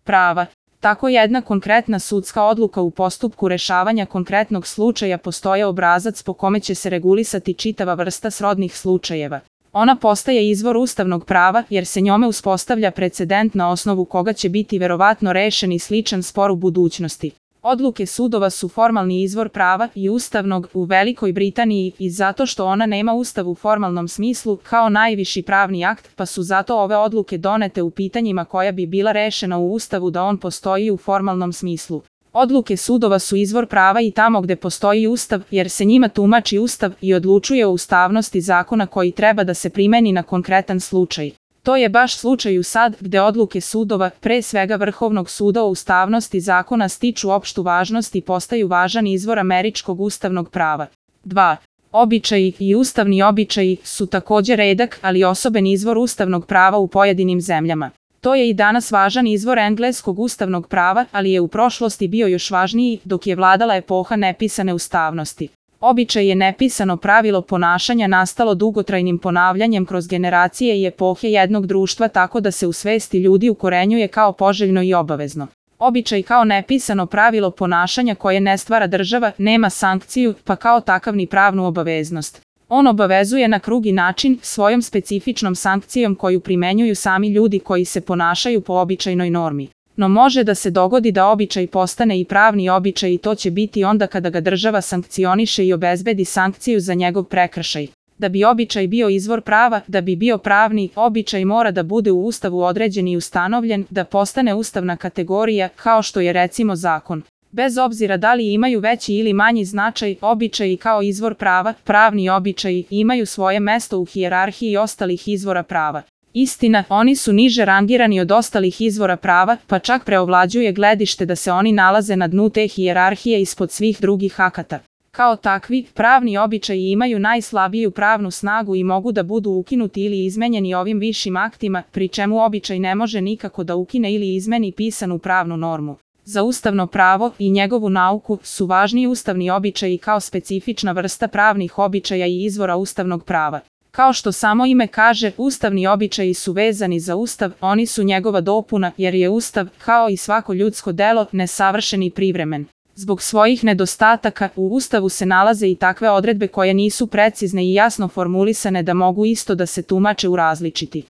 Prava. Tako jedna konkretna sudska odluka u postupku rešavanja konkretnog slučaja postoje obrazac po kome će se regulisati čitava vrsta srodnih slučajeva. Ona postaje izvor ustavnog prava jer se njome uspostavlja precedent na osnovu koga će biti verovatno rešen i sličan spor u budućnosti. Odluke sudova su formalni izvor prava i ustavnog u Velikoj Britaniji i zato što ona nema ustav u formalnom smislu kao najviši pravni akt, pa su zato ove odluke donete u pitanjima koja bi bila rešena u ustavu da on postoji u formalnom smislu. Odluke sudova su izvor prava i tamo gde postoji ustav, jer se njima tumači ustav i odlučuje o ustavnosti zakona koji treba da se primeni na konkretan slučaj. To je baš slučaj u sad gde odluke sudova, pre svega Vrhovnog suda o ustavnosti zakona stiču opštu važnost i postaju važan izvor američkog ustavnog prava. 2. Običaji i ustavni običaji su takođe redak, ali osoben izvor ustavnog prava u pojedinim zemljama. To je i danas važan izvor engleskog ustavnog prava, ali je u prošlosti bio još važniji dok je vladala epoha nepisane ustavnosti. Običaj je nepisano pravilo ponašanja nastalo dugotrajnim ponavljanjem kroz generacije i epohe jednog društva tako da se u svesti ljudi ukorenjuje kao poželjno i obavezno. Običaj kao nepisano pravilo ponašanja koje ne stvara država, nema sankciju, pa kao takav ni pravnu obaveznost. On obavezuje na drugi način, svojom specifičnom sankcijom koju primenjuju sami ljudi koji se ponašaju po običajnoj normi. No može da se dogodi da običaj postane i pravni običaj i to će biti onda kada ga država sankcioniše i obezbedi sankciju za njegov prekršaj. Da bi običaj bio izvor prava, da bi bio pravni, običaj mora da bude u Ustavu određen i ustanovljen, da postane ustavna kategorija, kao što je recimo zakon. Bez obzira da li imaju veći ili manji značaj, običaji kao izvor prava, pravni običaji, imaju svoje mesto u hijerarhiji ostalih izvora prava. Istina, oni su niže rangirani od ostalih izvora prava, pa čak preovlađuje gledište da se oni nalaze na dnu te hijerarhije ispod svih drugih akata. Kao takvi, pravni običaji imaju najslabiju pravnu snagu i mogu da budu ukinuti ili izmenjeni ovim višim aktima, pri čemu običaj ne može nikako da ukine ili izmeni pisanu pravnu normu. Za ustavno pravo i njegovu nauku su važni ustavni običaji kao specifična vrsta pravnih običaja i izvora ustavnog prava. Kao što samo ime kaže, ustavni običaji su vezani za ustav, oni su njegova dopuna jer je ustav, kao i svako ljudsko delo, nesavršen i privremen. Zbog svojih nedostataka, u ustavu se nalaze i takve odredbe koje nisu precizne i jasno formulisane da mogu isto da se tumače u različiti